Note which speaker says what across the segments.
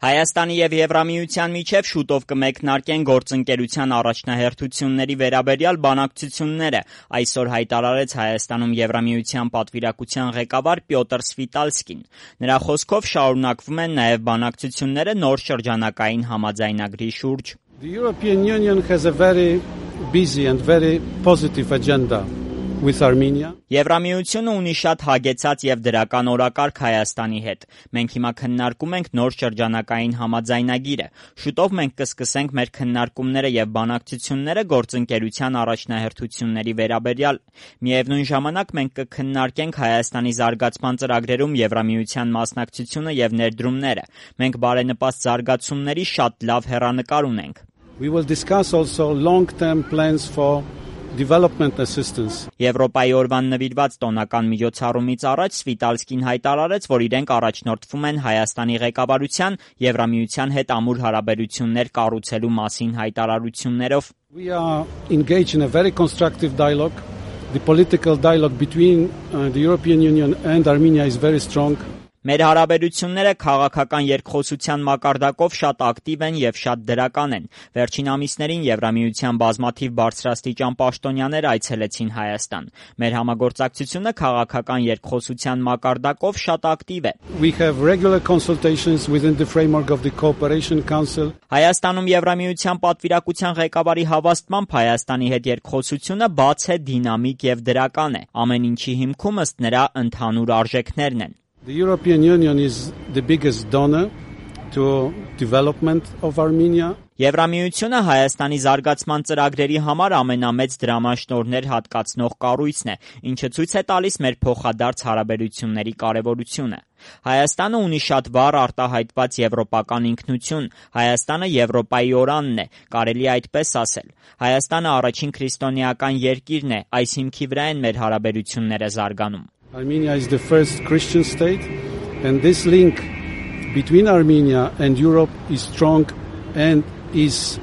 Speaker 1: Հայաստանի եւ Եվրամիության միջև շուտով կմեկնարկեն գործընկերության առաջնահերթությունների վերաբերյալ բանակցությունները, այսօր հայտարարեց Հայաստանում Եվրամիության պատվիրակության ղեկավար Պյոտր Սվիտալսկին։ Նրա խոսքով շարունակվում են նաեւ բանակցությունները նոր շրջանակային համաձայնագրի շուրջ։
Speaker 2: The European Union has a very busy and very positive agenda with Armenia.
Speaker 1: Եվրամիությունը ունի շատ հագեցած եւ դրական օրակարգ Հայաստանի հետ։ Մենք հիմա քննարկում ենք նոր շրջանակային համաձայնագիրը։ Շուտով մենք կսկսենք մեր քննարկումները եւ բանակցությունները գործընկերության առաջնահերթությունների վերաբերյալ։ Միևնույն ժամանակ մենք կքննարկենք Հայաստանի զարգացման ծրագրերում Եվրամիության մասնակցությունը եւ ներդրումները։ Մենք բարենպաստ զարգացումների շատ լավ հեռանկար ունենք։
Speaker 2: We will discuss also long-term plans for development assistance.
Speaker 1: Եվրոպայի օրվան նվիրված տոնական միջոցառումից առաջ Սվիտալսկին հայտարարեց, որ իրենք առաջնորդվում են Հայաստանի ղեկավարության Եվրամիության հետ ամուր հարաբերություններ կառուցելու մասին հայտարարություններով։
Speaker 2: We are engaged in a very constructive dialogue. The political dialogue between the European Union and Armenia is very strong.
Speaker 1: Մեր հարաբերությունները քաղաքական երկխոսության մակարդակով շատ ակտիվ են եւ շատ դրական են։ Վերջին ամիսներին Եվրամիության բազմաթիվ բարձրաստիճան պաշտոնյաներ այցելեցին Հայաստան։ Մեր համագործակցությունը քաղաքական երկխոսության մակարդակով շատ ակտիվ է։
Speaker 2: We have regular consultations within the framework of the Cooperation Council.
Speaker 1: Հայաստանում Եվրամիության պատվիրակության ղեկավարի հավաստմամբ Հայաստանի հետ երկխոսությունը բաց է, դինամիկ եւ դրական է։ Ամեն ինչի հիմքում ըստ նրա ընդհանուր արժեքներն են։
Speaker 2: The European Union is the biggest donor to development of Armenia.
Speaker 1: Եվրամիությունը Հայաստանի զարգացման ծրագրերի համար ամենամեծ դրամաշնորհներ հատկացնող կառույցն է, ինչը ցույց է տալիս մեր փոխադարձ հարաբերությունների կարևորությունը։ Հայաստանը ունի շատ վառ արտահայտված եվրոպական ինքնություն, Հայաստանը Եվրոպայի օրանն է, կարելի է այդպես ասել։ Հայաստանը առաջին քրիստոնեական երկիրն է, այս հիմքի վրա են մեր հարաբերությունները զարգանում։
Speaker 2: Armenia is the first Christian state, and this link between Armenia and Europe is strong and is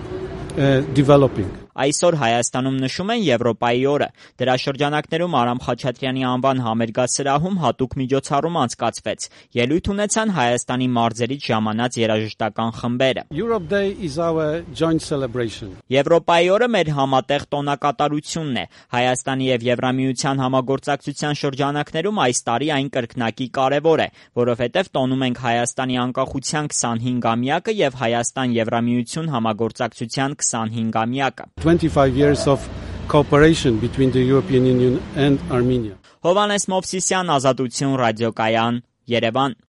Speaker 2: developing.
Speaker 1: Այսօր Հայաստանում նշում են Եվրոպայի օրը։ Դրա շրջանակներում Արամ Խաչատրյանի անվան համերգասրահում հատուկ միջոցառում անցկացվեց։ Ելույթ ունեցան Հայաստանի մարզերից ժամանած երաժշտական խմբերը։
Speaker 2: Europe Day is our joint celebration.
Speaker 1: Եվրոպայի օրը մեր համատեղ տոնակատարությունն է։ Հայաստանի եւ Եվրամիության համագործակցության շրջանակներում այս տարի այն կրկնակի կարևոր է, որովհետեւ տոնում ենք Հայաստանի անկախության 25-ամյակը եւ Հայաստան-Եվրամիություն համագործակցության 25-ամյակը։
Speaker 2: 25 years of cooperation between the European Union and Armenia.
Speaker 1: Հովհաննես Մովսիսյան, Ազատություն ռադիոկայան, Երևան։